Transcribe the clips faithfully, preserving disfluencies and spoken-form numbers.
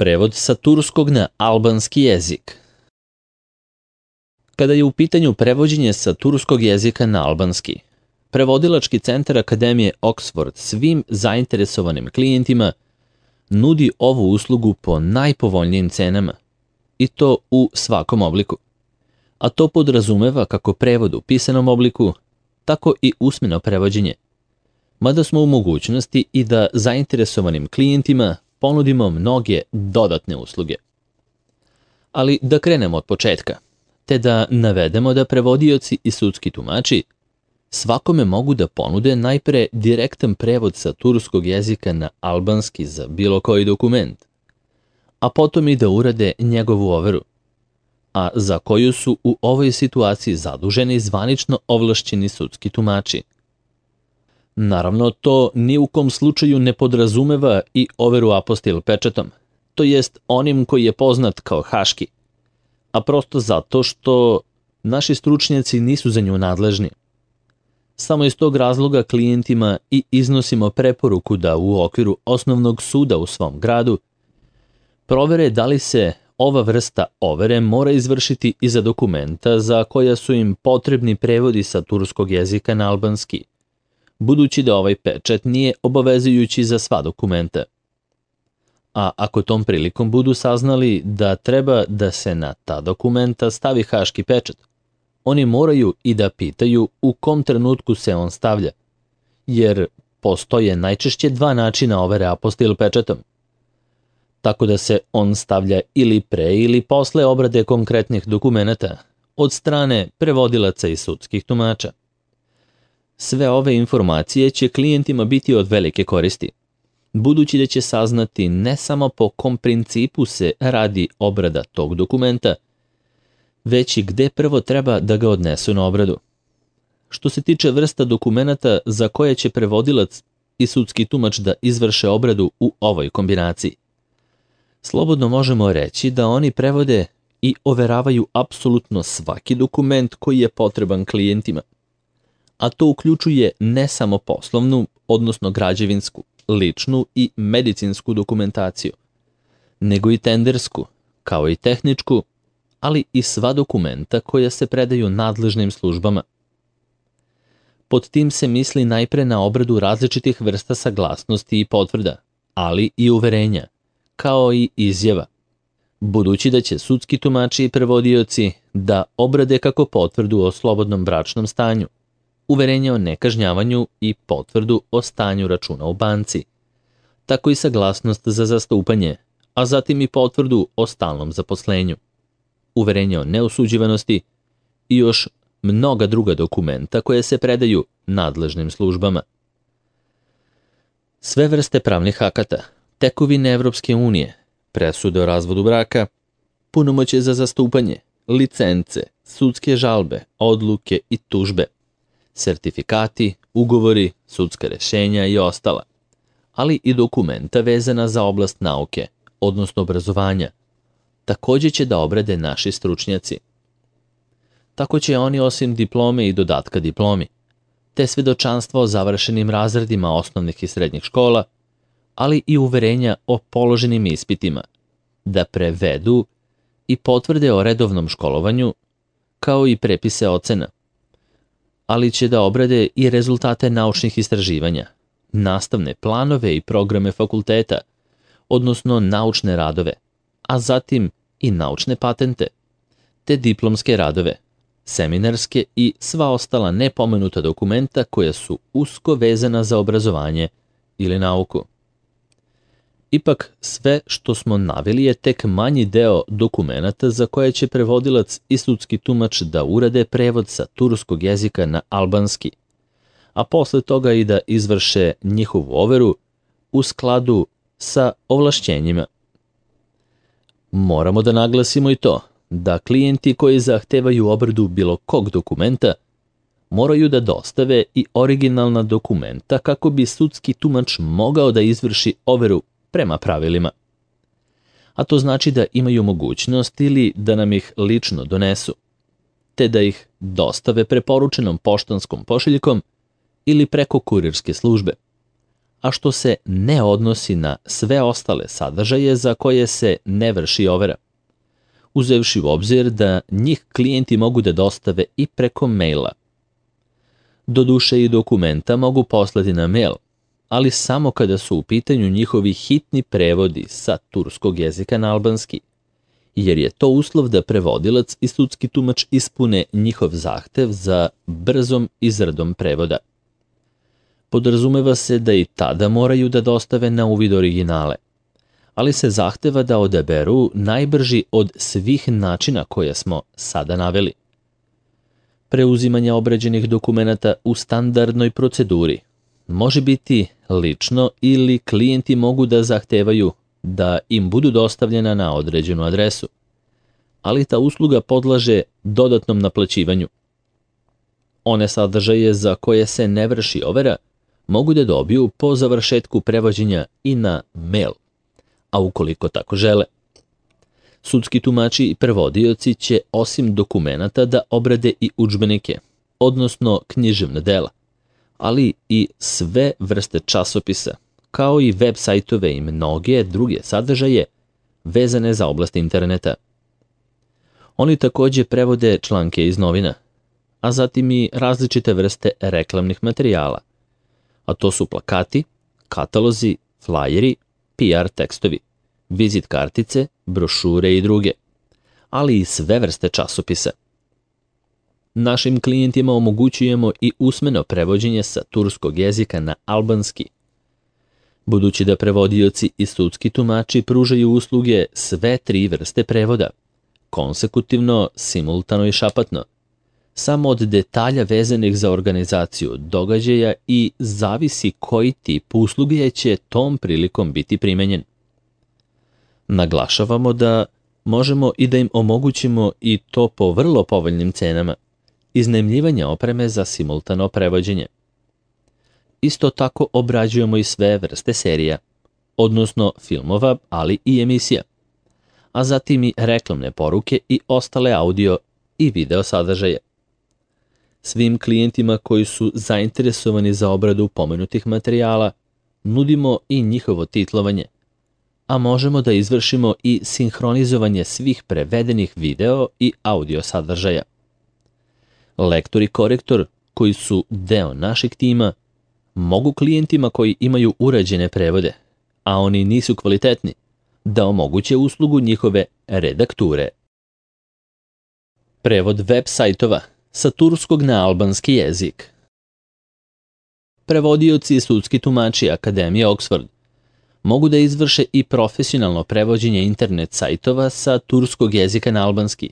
Prevod sa turskog na albanski jezik. Kada je u pitanju prevođenje sa turskog jezika na albanski, Prevodilački centar Akademije Oxford svim zainteresovanim klijentima nudi ovu uslugu po najpovoljnijim cenama, i to u svakom obliku. A to podrazumeva kako prevod u pisanom obliku, tako i usmeno prevođenje, mada smo u mogućnosti i da zainteresovanim klijentima ponudimo mnoge dodatne usluge. Ali da krenemo od početka, te da navedemo da prevodioci i sudski tumači svakome mogu da ponude najpre direktan prevod sa turskog jezika na albanski za bilo koji dokument, a potom i da urade njegovu overu, a za koju su u ovoj situaciji zaduženi zvanično ovlašćeni sudski tumači. Naravno, to ni u kom slučaju ne podrazumeva i overu apostil pečatom, to jest onim koji je poznat kao haški, a prosto zato što naši stručnjaci nisu za nju nadležni. Samo iz tog razloga klijentima i iznosimo preporuku da u okviru osnovnog suda u svom gradu provere da li se ova vrsta overe mora izvršiti i za dokumenta za koja su im potrebni prevodi sa turskog jezika na albanski, budući da ovaj pečat nije obavezujući za sva dokumenta. A ako tom prilikom budu saznali da treba da se na ta dokumenta stavi haški pečat, oni moraju i da pitaju u kom trenutku se on stavlja, jer postoje najčešće dva načina overe apostil pečatom, tako da se on stavlja ili pre ili posle obrade konkretnih dokumenata od strane prevodilaca i sudskih tumača. Sve ove informacije će klijentima biti od velike koristi, budući da će saznati ne samo po kom principu se radi obrada tog dokumenta, već i gde prvo treba da ga odnesu na obradu. Što se tiče vrsta dokumenata za koje će prevodilac i sudski tumač da izvrše obradu u ovoj kombinaciji, slobodno možemo reći da oni prevode i overavaju apsolutno svaki dokument koji je potreban klijentima, a to uključuje ne samo poslovnu, odnosno građevinsku, ličnu i medicinsku dokumentaciju, nego i tendersku, kao i tehničku, ali i sva dokumenta koja se predaju nadležnim službama. Pod tim se misli najpre na obradu različitih vrsta saglasnosti i potvrda, ali i uverenja, kao i izjava, budući da će sudski tumači i prevodioci da obrade kako potvrdu o slobodnom bračnom stanju, uverenje o nekažnjavanju i potvrdu o stanju računa u banci, tako i saglasnost za zastupanje, a zatim i potvrdu o stalnom zaposlenju, uverenje o neosuđivanosti i još mnoga druga dokumenta koje se predaju nadležnim službama. Sve vrste pravnih akata, tekovine Evropske unije, presude o razvodu braka, punomoćje za zastupanje, licence, sudske žalbe, odluke i tužbe, sertifikati, ugovori, sudska rešenja i ostala, ali i dokumenta vezana za oblast nauke, odnosno obrazovanja, također će da obrade naši stručnjaci. Tako će oni osim diplome i dodatka diplomi, te svedočanstva o završenim razredima osnovnih i srednjih škola, ali i uverenja o položenim ispitima, da prevedu i potvrde o redovnom školovanju, kao i prepise ocena, ali će da obrade i rezultate naučnih istraživanja, nastavne planove i programe fakulteta, odnosno naučne radove, a zatim i naučne patente, te diplomske radove, seminarske i sva ostala nepomenuta dokumenta koja su usko vezana za obrazovanje ili nauku. Ipak, sve što smo naveli je tek manji deo dokumenata za koje će prevodilac i sudski tumač da urade prevod sa turskog jezika na albanski, a posle toga i da izvrše njihovu overu u skladu sa ovlašćenjima. Moramo da naglasimo i to da klijenti koji zahtevaju obradu bilo kog dokumenta moraju da dostave i originalna dokumenta kako bi sudski tumač mogao da izvrši overu prema pravilima. A to znači da imaju mogućnost ili da nam ih lično donesu, te da ih dostave preporučenom poštanskom pošiljkom ili preko kurirske službe, a što se ne odnosi na sve ostale sadržaje za koje se ne vrši overa, uzevši u obzir da njih klijenti mogu da dostave i preko maila. Doduše i dokumenta mogu poslati na mail, ali samo kada su u pitanju njihovi hitni prevodi sa turskog jezika na albanski, jer je to uslov da prevodilac i sudski tumač ispune njihov zahtev za brzom izradom prevoda. Podrazumeva se da i tada moraju da dostave na uvid originale, ali se zahteva da odaberu najbrži od svih načina koje smo sada naveli. Preuzimanje obrađenih dokumenata u standardnoj proceduri može biti lično ili klijenti mogu da zahtevaju da im budu dostavljena na određenu adresu, ali ta usluga podlaže dodatnom naplaćivanju. One sadržaje za koje se ne vrši overa mogu da dobiju po završetku prevođenja i na mail, a ukoliko tako žele. Sudski tumači i prevodioci će osim dokumenata da obrade i udžbenike, odnosno književna dela, ali i sve vrste časopisa, kao i web sajtove i mnoge druge sadržaje vezane za oblast interneta. Oni takođe prevode članke iz novina, a zatim i različite vrste reklamnih materijala, a to su plakati, katalozi, flajeri, P R tekstovi, vizit kartice, brošure i druge, ali i sve vrste časopisa. Našim klijentima omogućujemo i usmeno prevođenje sa turskog jezika na albanski. Budući da prevodioci i sudski tumači pružaju usluge sve tri vrste prevoda, konsekutivno, simultano i šapatno, samo od detalja vezanih za organizaciju događaja i zavisi koji tip usluge će tom prilikom biti primenjen. Naglašavamo da možemo i da im omogućimo i to po vrlo povoljnim cenama, iznajmljivanje opreme za simultano prevođenje. Isto tako obrađujemo i sve vrste serija, odnosno filmova, ali i emisija, a zatim i reklamne poruke i ostale audio i video sadržaje. Svim klijentima koji su zainteresovani za obradu pomenutih materijala nudimo i njihovo titlovanje, a možemo da izvršimo i sinhronizovanje svih prevedenih video i audio sadržaja. Lektor i korektor, koji su deo našeg tima, mogu klijentima koji imaju urađene prevode, a oni nisu kvalitetni, da omoguće uslugu njihove redakture. Prevod web sajtova sa turskog na albanski jezik. Prevodioci i sudski tumači Akademije Oxford mogu da izvrše i profesionalno prevođenje internet sajtova sa turskog jezika na albanski,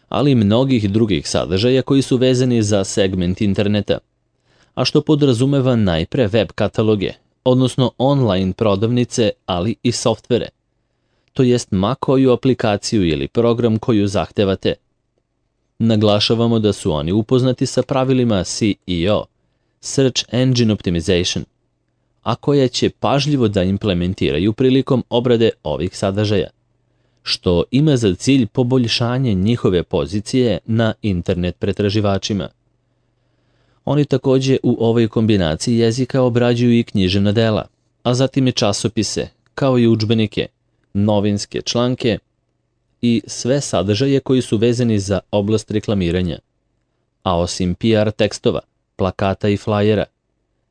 ali i mnogih drugih sadržaja koji su vezani za segment interneta, a što podrazumeva najpre web kataloge, odnosno online prodavnice, ali i softvere, to jest ma koju aplikaciju ili program koju zahtevate. Naglašavamo da su oni upoznati sa pravilima S E O, Search Engine Optimization, a koje će pažljivo da implementiraju prilikom obrade ovih sadržaja, što ima za cilj poboljšanje njihove pozicije na internet pretraživačima. Oni takođe u ovoj kombinaciji jezika obrađuju i književna dela, a zatim i časopise, kao i udžbenike, novinske članke i sve sadržaje koji su vezani za oblast reklamiranja. A osim P R tekstova, plakata i flajera,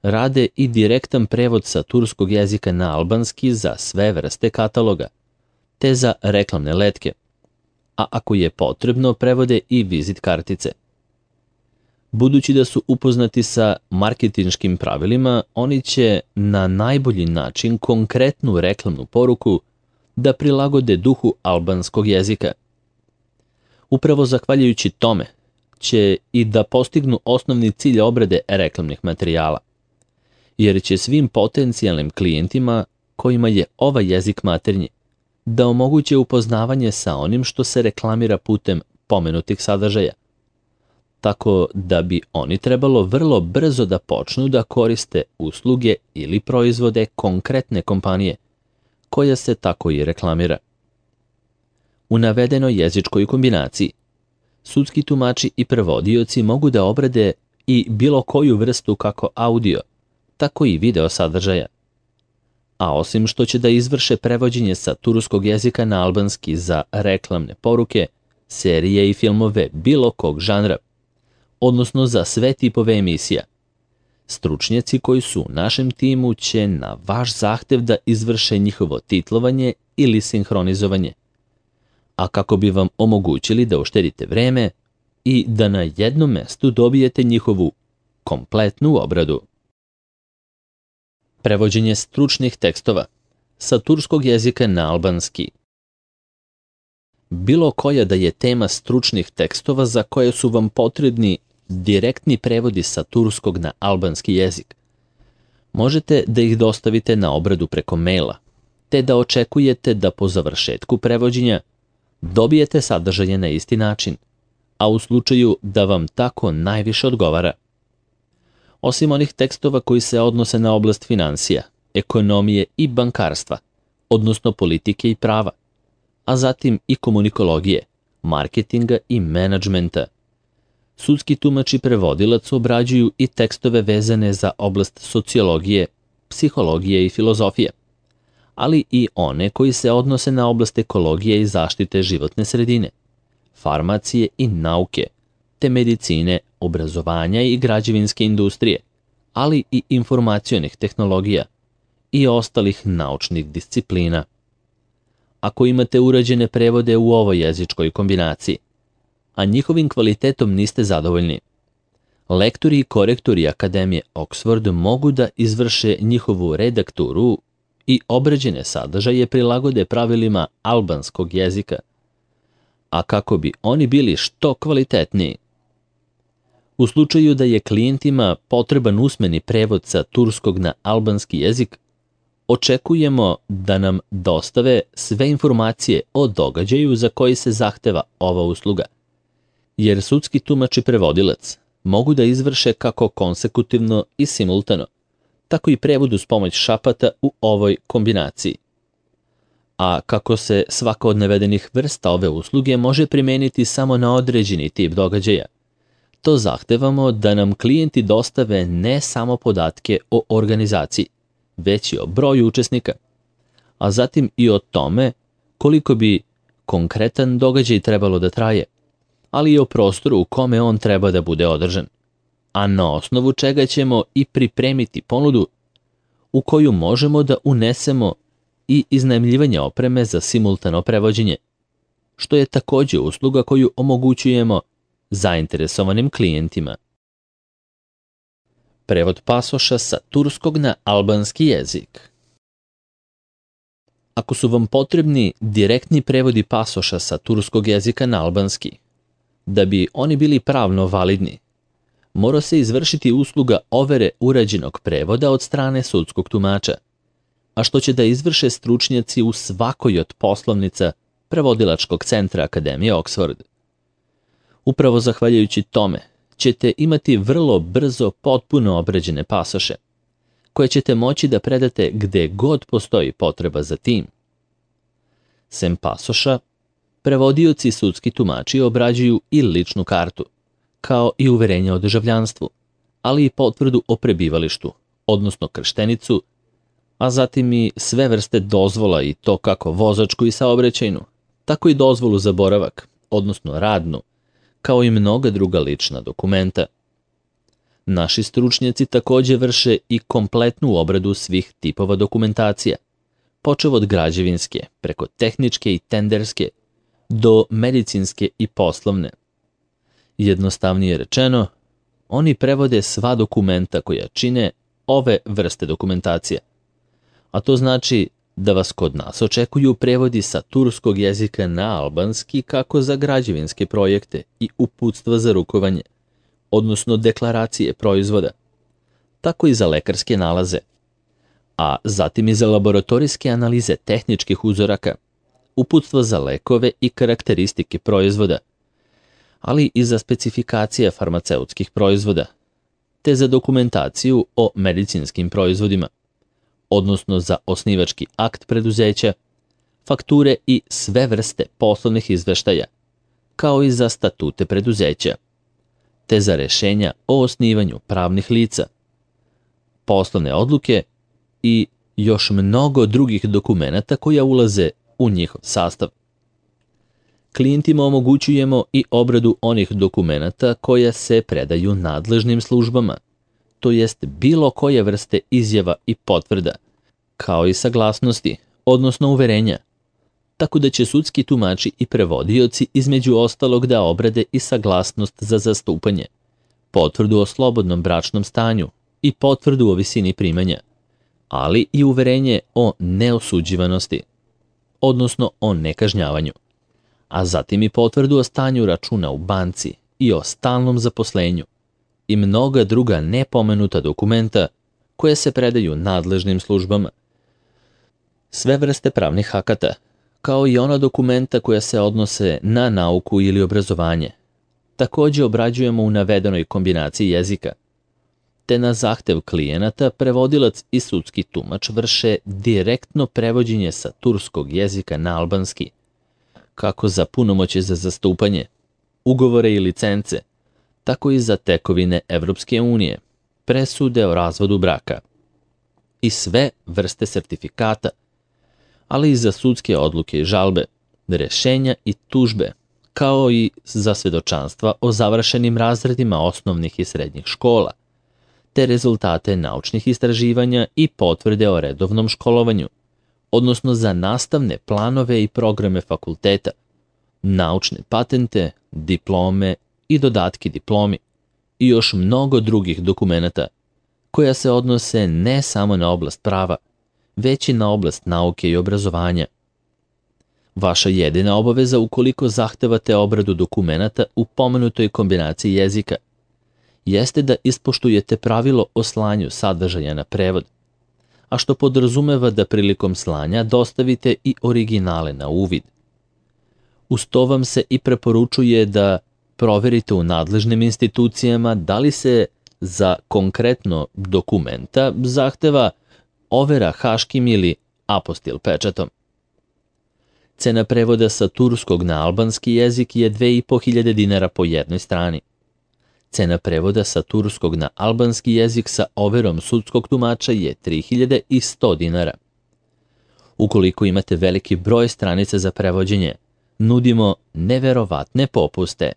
rade i direktan prevod sa turskog jezika na albanski za sve vrste kataloga, te za reklamne letke, a ako je potrebno prevode i vizit kartice. Budući da su upoznati sa marketinškim pravilima, oni će na najbolji način konkretnu reklamnu poruku da prilagode duhu albanskog jezika. Upravo zahvaljujući tome će i da postignu osnovni cilj obrade reklamnih materijala, jer će svim potencijalnim klijentima kojima je ovaj jezik maternji da omoguće upoznavanje sa onim što se reklamira putem pomenutih sadržaja, tako da bi oni trebalo vrlo brzo da počnu da koriste usluge ili proizvode konkretne kompanije, koja se tako i reklamira. U navedenoj jezičkoj kombinaciji, sudski tumači i prevodioci mogu da obrade i bilo koju vrstu kako audio, tako i video sadržaja, A osim što će da izvrše prevođenje sa turskog jezika na albanski za reklamne poruke, serije i filmove bilo kog žanra, odnosno za sve tipove emisija. Stručnjaci koji su u našem timu će na vaš zahtev da izvrše njihovo titlovanje ili sinhronizovanje. A kako bi vam omogućili da uštedite vreme i da na jednom mestu dobijete njihovu kompletnu obradu. Prevođenje stručnih tekstova sa turskog jezika na albanski. Bilo koja da je tema stručnih tekstova za koje su vam potrebni direktni prevodi sa turskog na albanski jezik. Možete da ih dostavite na obradu preko maila, te da očekujete da po završetku prevođenja dobijete sadržaje na isti način, a u slučaju da vam tako najviše odgovara. Osim onih tekstova koji se odnose na oblast finansija, ekonomije i bankarstva, odnosno politike i prava, a zatim i komunikologije, marketinga i menadžmenta. Sudski tumač i prevodilac obrađuju i tekstove vezane za oblast sociologije, psihologije i filozofije, ali i one koji se odnose na oblast ekologije i zaštite životne sredine, farmacije i nauke, te medicine, obrazovanja i građevinske industrije, ali i informacionih tehnologija i ostalih naučnih disciplina. Ako imate urađene prevode u ovoj jezičkoj kombinaciji, a njihovim kvalitetom niste zadovoljni, lektori i korektori Akademije Oxford mogu da izvrše njihovu redakturu i obrađene sadržaje prilagode pravilima albanskog jezika, a kako bi oni bili što kvalitetniji. U slučaju da je klijentima potreban usmeni prevod sa turskog na albanski jezik, očekujemo da nam dostave sve informacije o događaju za koji se zahteva ova usluga, jer sudski tumač i prevodilac mogu da izvrše kako konsekutivno i simultano, tako i prevod uz pomoć šapata u ovoj kombinaciji. A kako se svaka od navedenih vrsta ove usluge može primeniti samo na određeni tip događaja, to zahtevamo da nam klijenti dostave ne samo podatke o organizaciji, već i o broju učesnika, a zatim i o tome koliko bi konkretan događaj trebalo da traje, ali i o prostoru u kome on treba da bude održan, a na osnovu čega ćemo i pripremiti ponudu u koju možemo da unesemo i iznajmljivanje opreme za simultano prevođenje, što je takođe usluga koju omogućujemo zainteresovanim klijentima. Prevod pasoša sa turskog na albanski jezik. Ako su vam potrebni direktni prevodi pasoša sa turskog jezika na albanski, da bi oni bili pravno validni, mora se izvršiti usluga overe urađenog prevoda od strane sudskog tumača, a što će da izvrše stručnjaci u svakoj od poslovnica prevodilačkog centra Akademije Oxford. Upravo zahvaljujući tome ćete imati vrlo brzo potpuno obrađene pasoše, koje ćete moći da predate gde god postoji potreba za tim. Sem pasoša, prevodioci i sudski tumači obrađuju i ličnu kartu, kao i uverenje o državljanstvu, ali i potvrdu o prebivalištu, odnosno krštenicu, a zatim i sve vrste dozvola i to kako vozačku i saobraćajnu, tako i dozvolu za boravak, odnosno radnu, kao i mnoga druga lična dokumenta. Naši stručnjaci takođe vrše i kompletnu obradu svih tipova dokumentacija, počev od građevinske, preko tehničke i tenderske, do medicinske i poslovne. Jednostavnije rečeno, oni prevode sva dokumenta koja čine ove vrste dokumentacija, a to znači da vas kod nas očekuju prevodi sa turskog jezika na albanski kako za građevinske projekte i uputstva za rukovanje, odnosno deklaracije proizvoda, tako i za lekarske nalaze, a zatim i za laboratorijske analize tehničkih uzoraka, uputstva za lekove i karakteristike proizvoda, ali i za specifikacije farmaceutskih proizvoda, te za dokumentaciju o medicinskim proizvodima, odnosno za osnivački akt preduzeća, fakture i sve vrste poslovnih izveštaja, kao i za statute preduzeća, te za rešenja o osnivanju pravnih lica, poslovne odluke i još mnogo drugih dokumenata koja ulaze u njihov sastav. Klijentima omogućujemo i obradu onih dokumenata koja se predaju nadležnim službama, to jest bilo koje vrste izjava i potvrda, kao i saglasnosti, odnosno uverenja, tako da će sudski tumači i prevodioci između ostalog da obrade i saglasnost za zastupanje, potvrdu o slobodnom bračnom stanju i potvrdu o visini primanja, ali i uverenje o neosuđivanosti, odnosno o nekažnjavanju, a zatim i potvrdu o stanju računa u banci i o stalnom zaposlenju i mnoga druga nepomenuta dokumenta koje se predaju nadležnim službama. Sve vrste pravnih akata, kao i ona dokumenta koja se odnose na nauku ili obrazovanje, takođe obrađujemo u navedenoj kombinaciji jezika, te na zahtev klijenata prevodilac i sudski tumač vrše direktno prevođenje sa turskog jezika na albanski, kako za punomoćje za zastupanje, ugovore i licence, tako i za tekovine Evropske unije, presude o razvodu braka i sve vrste sertifikata, ali i za sudske odluke i žalbe, rešenja i tužbe, kao i za svedočanstva o završenim razredima osnovnih i srednjih škola, te rezultate naučnih istraživanja i potvrde o redovnom školovanju, odnosno za nastavne planove i programe fakulteta, naučne patente, diplome i dodatke diplomi i još mnogo drugih dokumenata koja se odnose ne samo na oblast prava, već i na oblast nauke i obrazovanja. Vaša jedina obaveza ukoliko zahtevate obradu dokumenata u pomenutoj kombinaciji jezika jeste da ispoštujete pravilo o slanju sadržaja na prevod, a što podrazumeva da prilikom slanja dostavite i originale na uvid. Uz to vam se i preporučuje da proverite u nadležnim institucijama da li se za konkretno dokumenta zahteva overa haškim ili apostil pečatom. Cena prevoda sa turskog na albanski jezik je dve i po hiljade dinara po jednoj strani. Cena prevoda sa turskog na albanski jezik sa overom sudskog tumača je tri hiljade sto dinara. Ukoliko imate veliki broj stranica za prevođenje, nudimo neverovatne popuste.